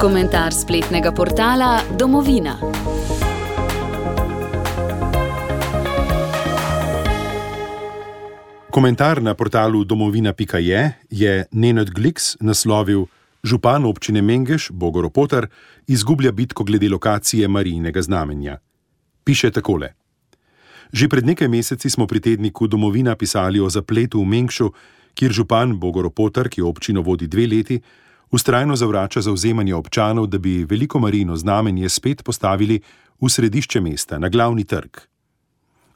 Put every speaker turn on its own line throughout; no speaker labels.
Komentar spletnega portala Domovina.
Komentar na portalu domovina.je je Nenad Gliks naslovil: Župan občine Mengeš, Bogo Ropotar, izgublja bitko glede lokacije Marijinega znamenja. Piše takole: Že pred nekaj meseci smo pri tedniku Domovina pisali o zapletu v Mengšu, kjer župan Bogo Ropotar, ki občino vodi 2 leti, vztrajno zavrača zavzemanje občanov, da bi veliko Marijino znamenje spet postavili v središče mesta, na glavni trg.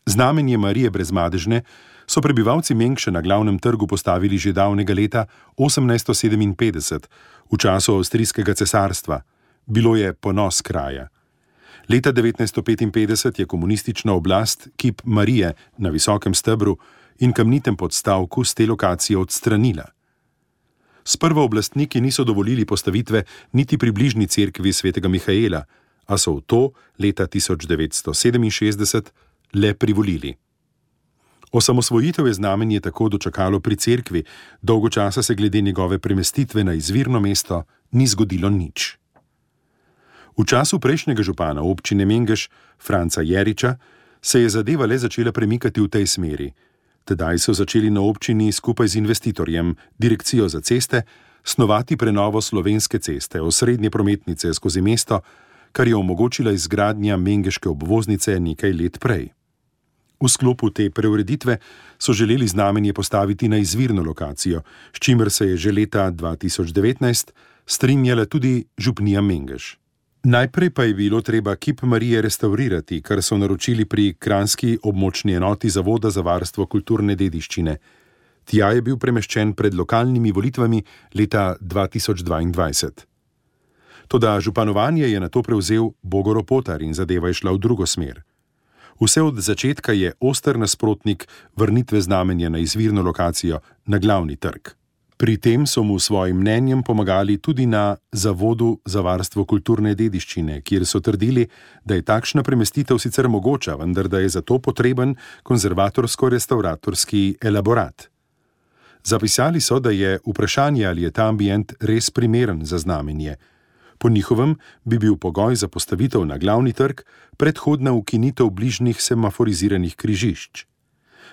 Znamenje Marije Brezmadežne so prebivalci Mengša na glavnem trgu postavili že davnega leta 1857, v času avstrijskega cesarstva. Bilo je ponos kraja. Leta 1955 je komunistična oblast kip Marije na visokem stebru in kamnitem podstavku s te lokacije odstranila. Sprva oblastniki niso dovolili postavitve niti pri bližnji cerkvi svetega Mihaela, a so v to leta 1967 le privolili. Osamosvojitev je znamenje tako dočakalo pri cerkvi, dolgo časa se glede njegove premestitve na izvirno mesto ni zgodilo nič. V času prejšnjega župana občine Mengeš, Franca Jeriča, se je zadeva le začela premikati v tej smeri. Tedaj so začeli na občini skupaj z investitorjem, direkcijo za ceste, snovati prenovo Slovenske ceste, osrednje prometnice skozi mesto, kar je omogočila izgradnja mengeške obvoznice nekaj let prej. V sklopu te preureditve so želeli znamenje postaviti na izvirno lokacijo, s čimer se je že leta 2019 strinjala tudi župnija Mengeš. Najprej pa je bilo treba kip Marije restavrirati, kar so naročili pri kranjski območni enoti Zavoda za varstvo kulturne dediščine. Tja je bil premeščen pred lokalnimi volitvami leta 2022. Toda županovanje je nato prevzel Bogo Ropotar in zadeva je šla v drugo smer. Vse od začetka je oster nasprotnik vrnitve znamenja na izvirno lokacijo, na glavni trg. Pri tem so mu svojim mnenjem pomagali tudi na Zavodu za varstvo kulturne dediščine, kjer so trdili, da je takšna premestitev sicer mogoča, vendar da je za to potreben konzervatorsko-restavratorski elaborat. Zapisali so, da je vprašanje, ali je ta ambient res primeren za znamenje. Po njihovem bi bil pogoj za postavitev na glavni trg predhodna ukinitev bližnjih semaforiziranih križišč.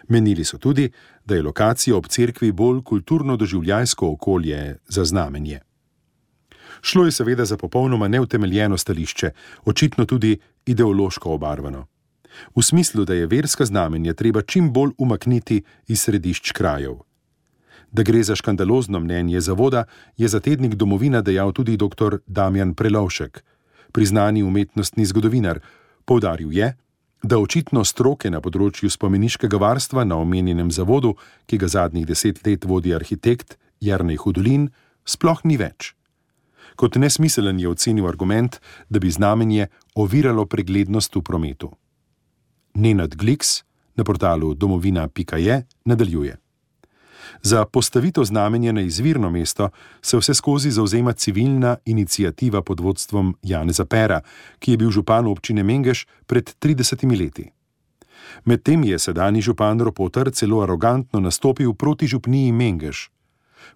Menili so tudi, da je lokacija ob cerkvi bolj kulturno-doživljajsko okolje za znamenje. Šlo je seveda za popolnoma neutemeljeno stališče, očitno tudi ideološko obarvano. V smislu, da je verska znamenja treba čim bolj umakniti iz središč krajev. Da gre za škandalozno mnenje zavoda, je za tednik Domovina dejal tudi dr. Damjan Prelovšek, priznani umetnostni zgodovinar. Poudaril je, da očitno stroke na področju spomeniškega varstva na omenjenem zavodu, ki ga zadnjih 10 let vodi arhitekt Jernej Hudolin, sploh ni več. Kot nesmiselen je ocenil argument, da bi znamenje oviralo preglednost v prometu. Nenad Gliks na portalu domovina.je nadaljuje. Za postavitev znamenja na izvirno mesto se vseskozi zavzema civilna iniciativa pod vodstvom Janeza Pera, ki je bil župan občine Mengeš pred 30 leti. Medtem je sedanji župan Ropotar celo arogantno nastopil proti župniji Mengeš.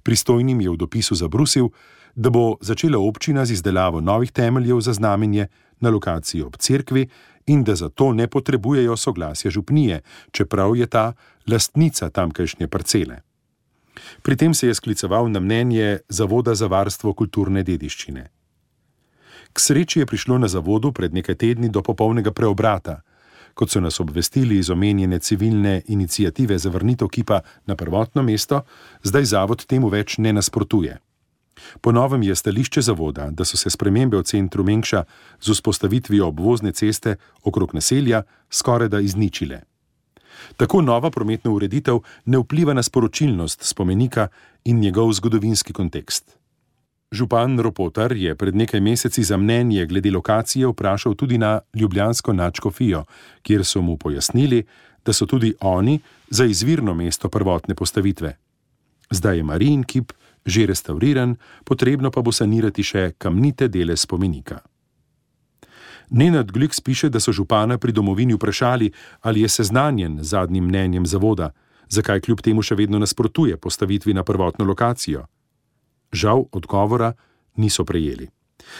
Pristojnim je v dopisu zabrusil, da bo začela občina z izdelavo novih temeljev za znamenje na lokaciji ob cerkvi in da zato ne potrebujejo soglasja župnije, čeprav je ta lastnica tamkajšnje parcele. Pri tem se je skliceval na mnenje Zavoda za varstvo kulturne dediščine. K sreči je prišlo na zavodu pred nekaj tedni do popolnega preobrata. Kot so nas obvestili iz omenjene civilne iniciative za vrnitev kipa na prvotno mesto, zdaj zavod temu več ne nasprotuje. Po novem je stališče zavoda, da so se spremembe v centru Mengša z vzpostavitvijo obvozne ceste okrog naselja skorajda izničile. Tako nova prometna ureditev ne vpliva na sporočilnost spomenika in njegov zgodovinski kontekst. Župan Ropotar je pred nekaj meseci za mnenje glede lokacije vprašal tudi na ljubljansko nadškofijo, kjer so mu pojasnili, da so tudi oni za izvirno mesto prvotne postavitve. Zdaj je Marijin kip že restavriran, potrebno pa bo sanirati še kamnite dele spomenika. Nenad Gliks piše, da so župana pri Domovini vprašali, ali je seznanjen z zadnjim mnenjem zavoda, zakaj kljub temu še vedno nasprotuje postavitvi na prvotno lokacijo. Žal odgovora niso prejeli.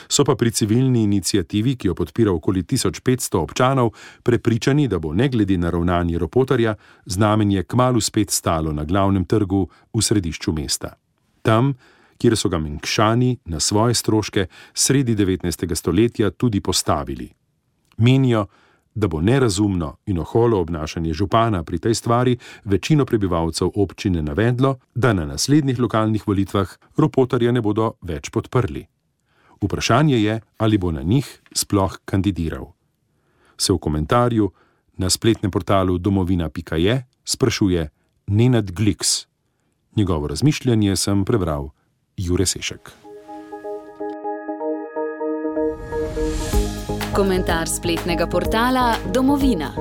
So pa pri civilni iniciativi, ki jo podpira okoli 1500 občanov, prepričani, da bo ne glede na ravnanje Ropotarja znamenje kmalu spet stalo na glavnem trgu v središču mesta. Tam, kjer so ga Mengšani na svoje stroške sredi 19. stoletja tudi postavili. Menijo, da bo nerazumno in oholo obnašanje župana pri tej stvari večino prebivalcev občine navedlo, da na naslednjih lokalnih volitvah Ropotarja ne bodo več podprli. Vprašanje je, ali bo na njih sploh kandidiral. Se v komentarju na spletnem portalu domovina.je sprašuje Nenad Gliks. Njegovo razmišljanje sem prebral Jure Sešek.
Komentar spletnega portala Domovina.